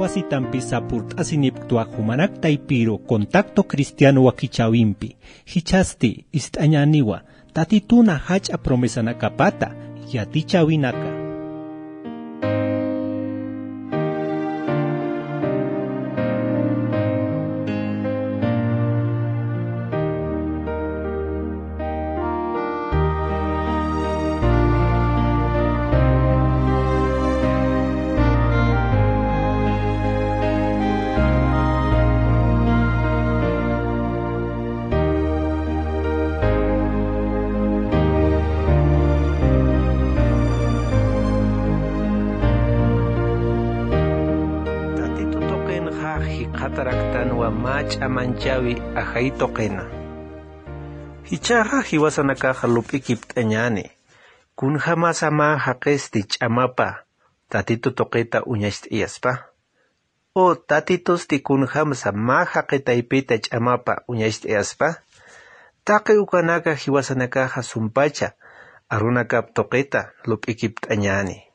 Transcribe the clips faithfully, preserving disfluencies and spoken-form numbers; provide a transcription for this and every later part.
Asitampi sapurt'asinipktwa jumanak taypiru Contacto Cristiano wakichäwimpi, jichhasti ist'añäniwa Tatituna jach'a promesanakapata yatichäwinaka. Tatitu tuqinxa jikxataraktanwa mä ch'amanchawi ajay tuqina. Jichhaxa jiwasanakaxa lup'ikipt'añäni, kunjämasa mä jaqisti ch'amapa Tatitu tuqita uñacht'ayaspa. O Tatitusti kunjämsa mä jaqi taypita ch'amapa uñacht'ayaspa. Taqi ukanaka jiwasanakaxa sumpacha arunakap tuqita lup'ikipt'añäni.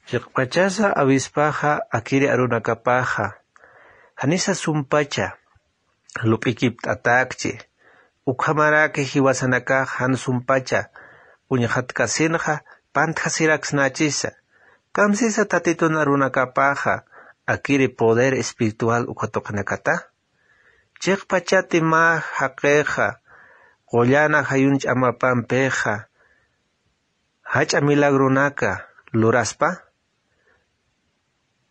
Chiqpachasa awispaxa akiri arunakapaxa janisa sumpacha lup'ikipt'atäkchi. Ukhamaraki jiwasanakax jan sumpacha uñxatkasinxa pantjasiraksnächisa. Kamsisa Tatitun arunakapaxa akiri poder espiritual uka tuqinakata. Chiqpachati mä jaqixa qullan ajayun ch'amapampixa jach'a milagronaka luraspa,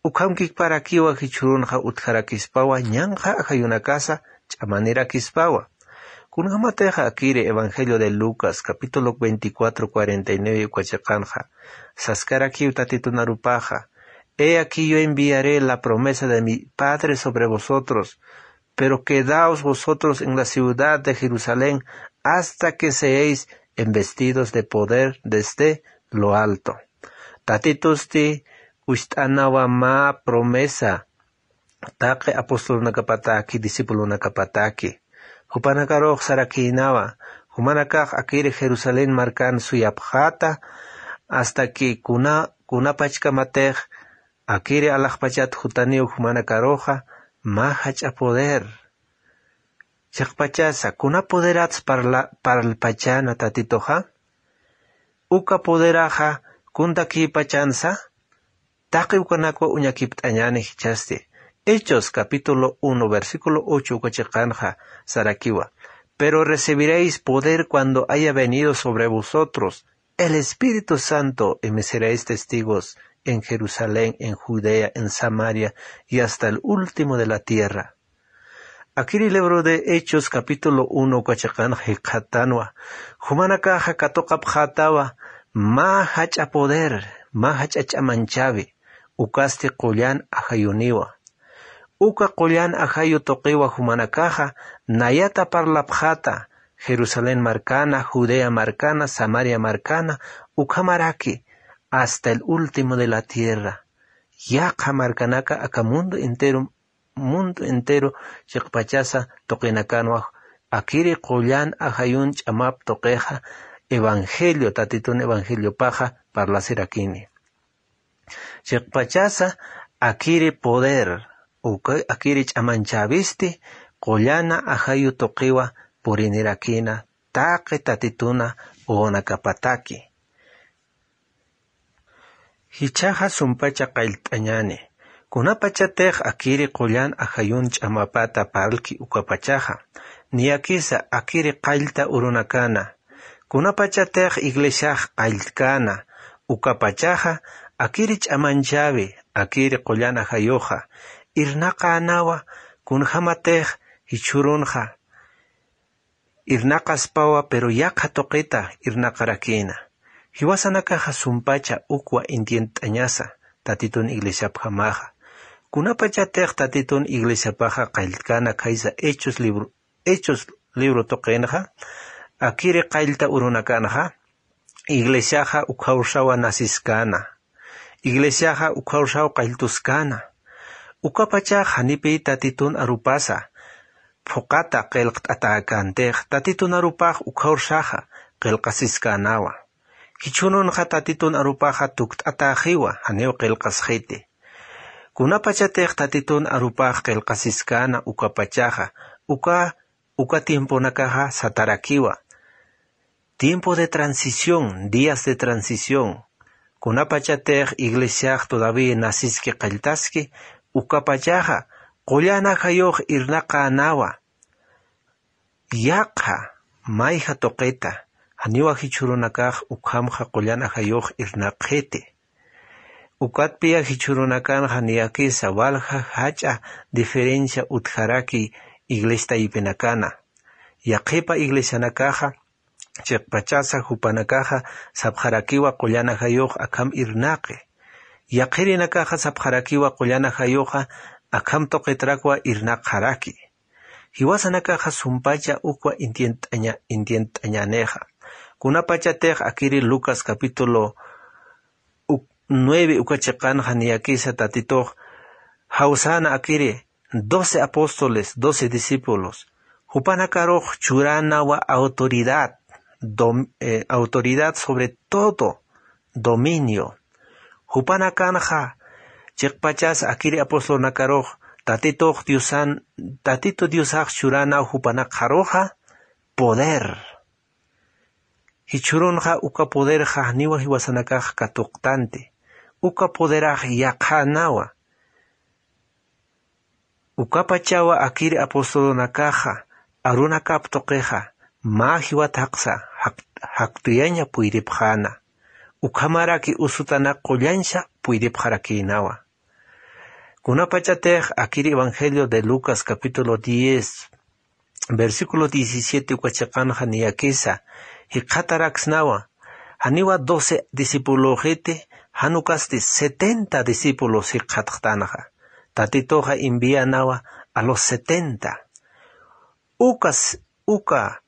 ukhamkikparakiwa jichhürunxa utjarakispawa ñanqha ajayunakasa ch'amanirakispawa. Kunjämatixa akiri Evangelio de Lucas, capítulo veinticuatro, cuarenta y nueve uka chiqanxa, saskarakiw Tatitun arupaxa: "He aquí yo enviaré la promesa de mi Padre sobre vosotros, pero quedaos vosotros en la ciudad de Jerusalén hasta que seáis investidos de poder desde lo alto". Tatitusti ucht'anawa mä promesa taqi apostolunakapataki, discipulunakapataki. Jupanakarux sarakïnawa, jumanakax akiri Jerusalén markan suyapxäta, hasta que kuna, kunapachkamatix akiri alaxpachat jutaniw jumanakaruxa mä jach'a poder. Chiqpachasa, kuna poderats parla-, parlpachäna Tatituxa? Uka poderaxa kuntakïpachansa? Taqi ukanakwa uñakipt'añäni jichhasti. Hechos, capítulo uno, versículo ocho uka chiqanxa sarakiwa: "Pero recibiréis poder cuando haya venido sobre vosotros el Espíritu Santo, y me seréis testigos en Jerusalén, en Judea, en Samaria, y hasta el último de la tierra". Akiri libro de Hechos, capítulo uno, uka chiqanxa jikxatanwa, jumanakaxa katuqapxätawa mä jach'a poder, mä jach'a ch'amanchawi, ukasti qullan ajayuniwa. Uka qullan ajayu tuqiwa jumanakaxa nayata parlapxäta Jerusalén markana, Judea markana, Samaria markana, ukhamaraki hasta el último de la tierra. Yaqha markanaka aka mundo entero, mundo entero chiqpachasa tuqinakanwa akiri qullan ajayun ch'amap tuqixa evangelio, Tatitun evangeliopaxa parlasirakini. Chiqpachasa akiri poder, uka akiri ch'amanchäwisti qullana ajayu tuqiwa purinirakina taqi Tatituna wawanakapataki. Jichhaxa sumpacha qallt'añäni. Kunapachatix akiri qullan ajayun ch'amapata parlki ukapachaxa, niyakisa akiri qallta urunakana. Kunapachatix iglesiax qalltkana, ukapachaxa akiri ch'amanchawi, akiri qullan ajayuxa irnaqänawa, kunjämatix jichhürunxa irnaqaspawa, pero yaqha tuqita irnaqarakïna. Jiwasanakaxa sumpacha ukwa entiendt'añasa Tatitun iglesiapjamaxa. Kunapachatix Tatitun iglesiapaxa qalltkana khaysa Hechos libro, Hechos libro tuqinxa, akiri qallta urunakanxa, iglesiaxa ukhawsawa nasiskana. Iglesiaxa ukhawsaw qalltuskana. Ukapachax janipiy Tatitun arupasa phuqata qillqt'atäkantix, Tatitun arupax ukhawsaxa qillqasiskanawa. Jichhürunxa Tatitun arupaxa tukt'atäxiwa, janiw qillqasxiti. Kunapachatix tatitun arupax qillqasiskäna ukapachaxa, uka uka tiemponakaxa satarakiwa. Tiempo de transición, días de transición. Kunapachatix iglesiax todavía nasiski qalltaski, ukapachaxa qullan ajayux irnaqänawa. Yaqha mayja tuqita, janiwa jichhürunakax ukhamxa qullan ajayux irnaqxiti. Ukatpiya jichhürunakanxa niyakisa walja jach'a diferencia utjaraki iglesiaypinakana. Yaqhipa iglesianakaxa chiqpachasa jupanakaxa sapxarakiwa qullan ajayux akham irnaqi. Yaqhirinakaxa sapxarakiwa qullan ajayuxa akham tuqitrakwa irnaqxaraki. Jiwasanakaxa sumpacha ukwa entiendt'aña entiendt'añänixa. Kunapachatix akiri Lucas capítulo uk nueve uka chiqanxa niyakisa tatitux jawsäna akiri doce apóstoles, doce discípulos, jupanakarux churänawa autoridad, dom- eh, autoridad sobre todo dominio. Jupanakanxa chiqpachas akiri apostolnakarux tatitux diosan tatitu diosax churänaw jupanakxaruxa poder. Jichhürunxa uka poderxa janiwa jiwasanakax katuqtanti. Uka poderax yaqhänawa. Ukapachawa akiri apostolunakaxa arunakap tuqixa mä jiwat jaqsa jaq- jaqtuyaña puydipxäna. Ukhamaraki usutanak qullansa puydipxarakïnawa. Kunapachatix akiri evangelio de Lucas capítulo diez versículo diecisiete uka chiqanxa niyakisa jikxataraksnawa. Janiwa doce discipulöxiti, jan ukasti setenta discípulos jikxatxtanxa. Tatituxa enviänawa a los setenta. Ukas uka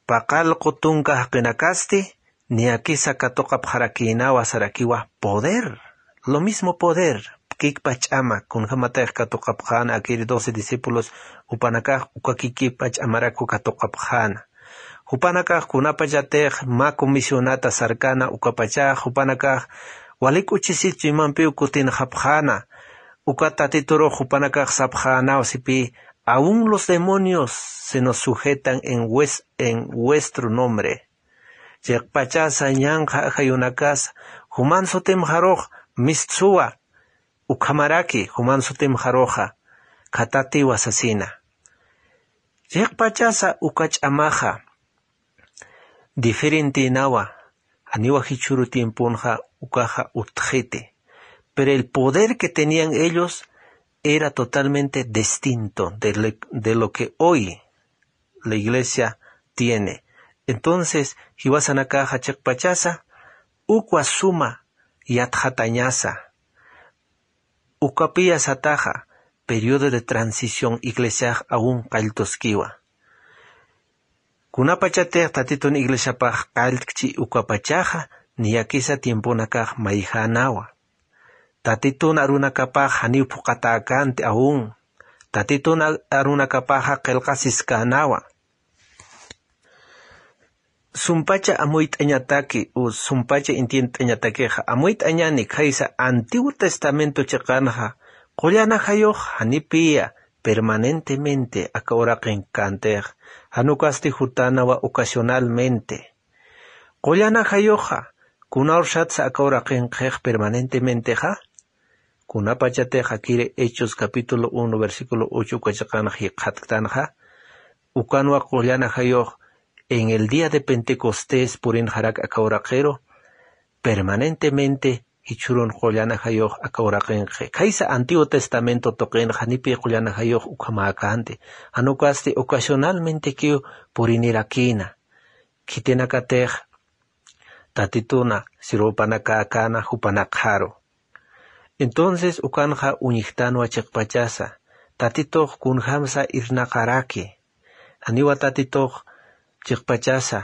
paqallqu tunka jaqinakasti niyakisa katuqapxarakïnawa sarakiwa poder. Lo mismo poder, kikpa ch'ama kunjämatix katuqapxäna akiri doce discípulos jupanakax uka kikpa ch'amarakwa katuqapxäna. Jupanakax kunapachatix mä comisionata sarkana ukapachax jupanakax wali k'uchisitsu imampiw kutinxapxäna. Uka tatiturux jupanakax sapxänaw sipï: aun los demonios se nos sujetan en vues- en vuestro nombre. Chiqpachasa ñanqha ajayunakasa juman sutimxarux mistsuwa. Ukhamaraki juman sutimxaruxa khatatiwa sasina. Chiqpachasa uka ch'amaxa diferentinawa. Janiwa jichhüru tiemponxa ukaxa utjiti. Pero el poder que tenían ellos era totalmente distinto de lo, de lo que hoy la iglesia tiene. Entonces jiwasanakaxa chiqpachasa ukwa suma yatxatañasa. Ukapiya sataxa periodo de transición iglesiax aun qalltuskiwa. Kunapachatix tatitun iglesiapax qalltkchi ukapachaxa niyakisa tiemponakax mayjänawa. Tatitun arunakapax janiw phuqatäkänti aun. Tatitun arunakapaxa qillqasiskänawa. Sumpacha amuyt'añataki u sumpacha entiendt'añatakixa amuyt'añani khaysa antiguo testamento chiqanxa qullan ajayux janipiya permanentemente aka uraqinkkantix. Jan ukasti jutanawa ocasionalmente. Qullan ajayuxa kunawrsatsa aka uraqinqix permanentementexa? Kunapachatix akiri Hechos capítulo uno versículo ocho uka chiqanxa jikxatktanxa ukanwa qullan ajayux en el día de Pentecostés purinxarak aka uraqiru. Permanentemente jichhürun qullan ajayux aka uraqinqi khaysa antiguo testamento tuqinxa janipi qullan ajayux ukhamäkänti. Jan ukasti ocasionalmentekiw purinirakïna. Khitinakatix tatituna sirupanakäkäna jupanakxaru. Entonces ukanxa uñjtanwa chiqpachasa tatitux kunjämsa irnaqaraki. Janiwa tatitux chiqpachasa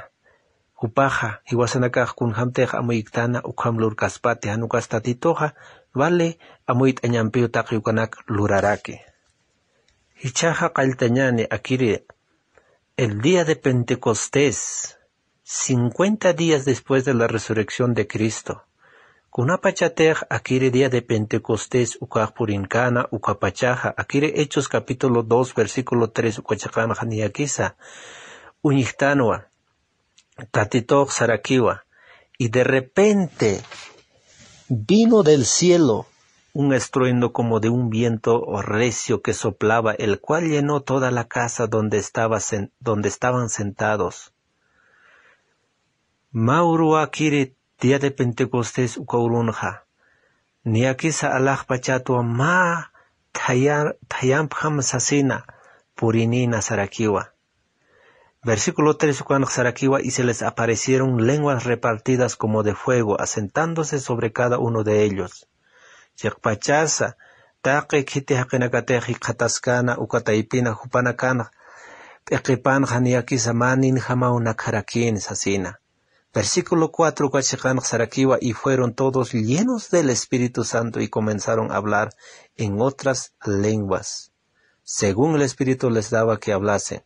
jupaxa jiwasanakax kunjämtix amuyktana ukham lurkaspati jan ukas tatituxa vale amuyt'añampiw taqi ukanak luraraki. Jichhaxa qalltañäni akiri el día de Pentecostés cincuenta días después de la resurrección de Cristo. Kunapachatix akiri día de Pentecostés ukax purinkana, ukapachaxa akiri Hechos capítulo dos, versículo tres uka chiqanxa niyakisa uñjtanwa. Tatitux sarakiwa: "Y de repente vino del cielo un estruendo como de un viento recio que soplaba, el cual llenó toda la casa donde estaba sen-, donde estaban sentados". Mä uruwa akiri día de Pentecostés uka urunxa, niyakisa alaxpachatwa mä thaya-, thayampjam sasina purinïna sarakiwa. Versículo tres ukanx sarakiwa: "Y se les aparecieron lenguas repartidas como de fuego, asentándose sobre cada uno de ellos". Chiqpachasa taqi khiti jaqinakatix jikxataskana uka taypina jupanakanx p'iqipanxa niyakisa mä ninjamaw nakharakïn sasina. Versículo cuatro uka chiqanx sarakiwa: "Y fueron todos llenos del Espíritu Santo y comenzaron a hablar en otras lenguas, según el Espíritu les daba que hablasen".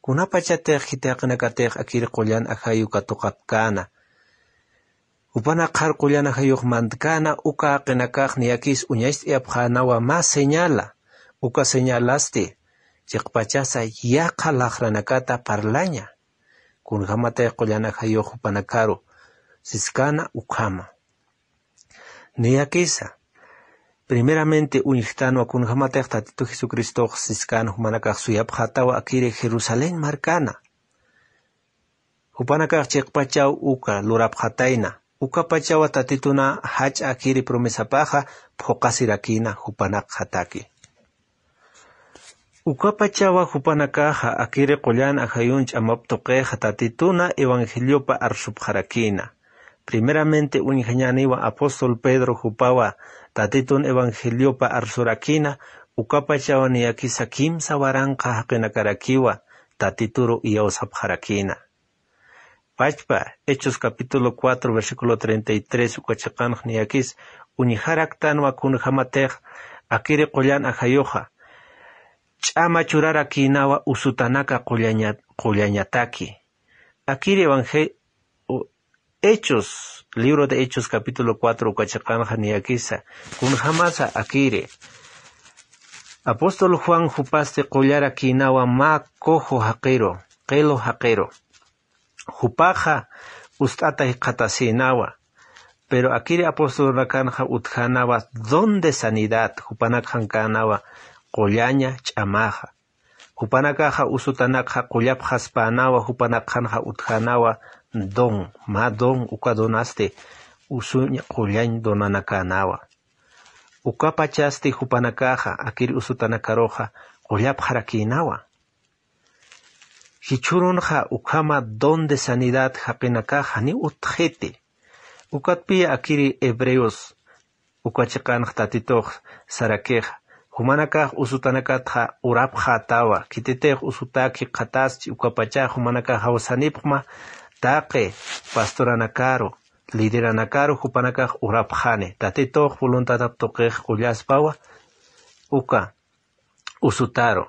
Kunapachatix khiti jaqinakatix akiri qullan ajayu katuqapkäna, jupanakxar qullan ajayux mantkana, uka jaqinakax niyakis uñacht'ayapxänawa mä señala, uka señalasti chiqpachasa yaqha laxranakata parlaña. Kunjamatix qullan ajayux jupanakaru siskana ukhama. Niyakisa primeramente uñjtanwa kunjamatix Tatitu Jesucristox siskana jumanakax suyapxätawa akiri Jerusalén markana. Jupanakax chiqpachaw uka lurapxatayna, ukapachawa Tatituna jach'a akiri promesapaxa phuqasirakïna jupanakxataki. Ukapachawa jupanakaxa akiri qullan ajayun ch'amap tuqixa Tatituna evangeliopa arsupxarakïna. Primeramente uñjañäniwa apóstol Pedro jupawa Tatitun evangeliopa arsurakïna, ukapachawa niyakisa kimsa waranqa jaqinakarakiwa Tatituru iyawsapxarakïna. Pachpa Hechos capítulo cuatro, versículo treinta y tres uka chiqanx niyakis uñjaraktanwa kunjamatix akiri qullan ajayuxa ch'ama churarakïnawa usutanaka qullaña-, qullañataki. Akiri evangel-, u-, Hechos, libro de Hechos capítulo cuatro uka chiqanxa niyakisa kunjamasa akiri apóstol Juan jupasti qullarakïnawa mä cojo jaqiru, qilu jaqiru. Jupaxa ust'ata jikxatasïnawa, pero akiri apostolnakanxa utjänawa don de sanidad, jupanakxankänäwa qullaña ch'amaxa. Jupanakaxa usutanakxa qullapxaspänawa, jupanakxanxa utjänawa don, mä don, uka donasti usuñ qullañ donanakänawa. Ukapachasti jupanakaxa akiri usutanakaruxa qullapxarakïnawa. Jichhürunxa ukhama don de sanidad jaqinakax janiw utjxiti. Ukatpiya akiri Hebreos uka chiqanx Tatitux sarakixa, jumanakax usutanakatxa urapxätawa, khititix usutak jikxataschi, ukapachax jumanakax jawsanipxma taqi pastoranakaru, lideranakaru jupanakax urapxani, Tatitux voluntadap tuqix qullaspawa uka usutaru.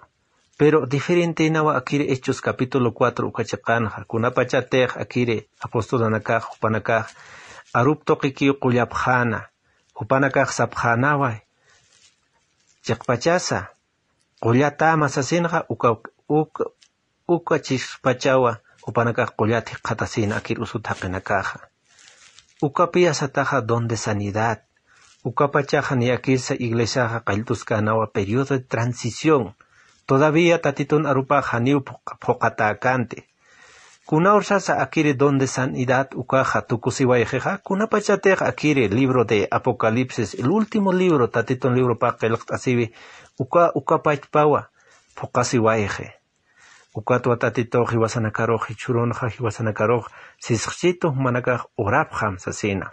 Pero diferenteynawa akiri Hechos capítulo cuatro uka chiqanxa, kunapachatix akiri apostolanakax jupanakax arup tuqikiw qullapxäna, jupanakax sapxänawa, chiqpachasa qullatäma sasinxa, uka, uka, uka chiqpachawa jupanakax qullat jikxatasïna akir usut jaqinakaxa. Ukapiya sataxa don de sanidad. Ukapachaxa niyakisa iglesiaxa qalltuskänawa periodo de transición. Todavía Tatitun arupax janiw phuq-, phuqatäkänti. Kuna ursasa akiri don de sanidad ukaxa tukusiwayxixa, kunapachatix akiri libro de Apocalipsis, el último libro, Tatitun libropax qillqt'asiwi, uka, ukapachpawa phuqasiwayxi. Ukatwa Tatitux jiwasanakarux jichhürunxa, jiwasanakarux sisqchitu jumanakax urapxam sasina.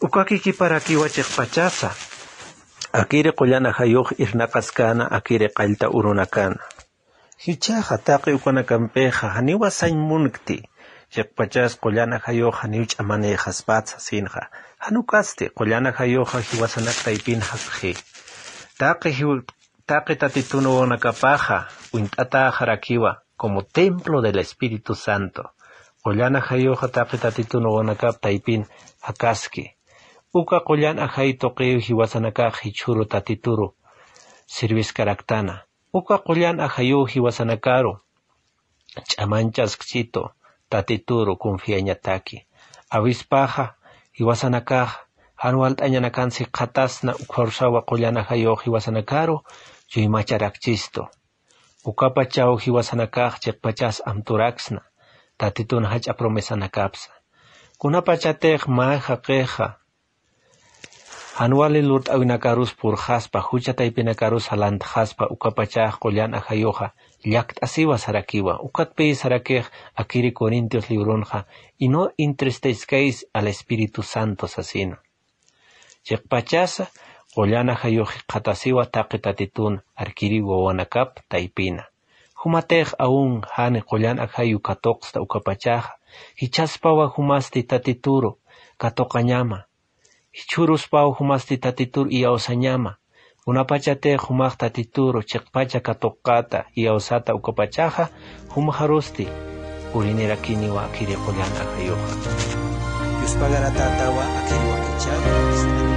Ukakikiparakiwa chiqpachasa akiri qullan ajayux irnaqaskäna, akiri qallta urunakana. Jichhaxa taqi ukanakampixa janiwa sañ munkti, chiqpachas qullan ajayux janiw ch'amanïxaspat sasinxa. Jan ukasti qullan ajayuxa jiwasanak taypin japxi. Taqi jiw-, taqi Tatitun wawanakapaxa uñt'atäxarakiwa como templo del Espíritu Santo. Qullan ajayuxa taqi tatitun wawanakap taypin jakaski. Uka qullan ajay tuqiw jiwasanakax jichhüru tatituru sirviskaraktana. Uka qullan ajayuw jiwasanakaru ch'amañchaskchitu tatituru confiañataki. Awispaxa jiwasanakax jan walt'añanakan sikxatasna ukharusawa qullan ajayux jiwasanakaru chuymacharakchistu. Ukapachaw jiwasanakax chiqpachas amturaksna tatitun jach'a promesanakapsa. Kunapachatix mä jaqixa jan wali lurt'äwinakarus purxaspa jucha taypinakarus jalantxaspa ukapachax qullan ajayuxa llakt'asiwa sarakiwa. Ukatpï sarakix akiri Corintios librunxa y no entristezcáis al Espíritu Santo sasina. Chiqpachasa qullan ajayux jikxatasiwa taqi tatitun arkiri wawanakap taypina. Jumatix aun jani qullan ajayu katuqsta ukapachaxa jichhaspawa jumasti tatituru katuqañama. Jichhüruspaw jumasti tatitur iyawsañama. Kunapachatix jumax tatituru chiqpacha katuqata iyawsata ukapachaxa jumxarusti purinirakiniwa akiri qullan ajayuxa. Yuspagaratätawa akiri wakichäwi.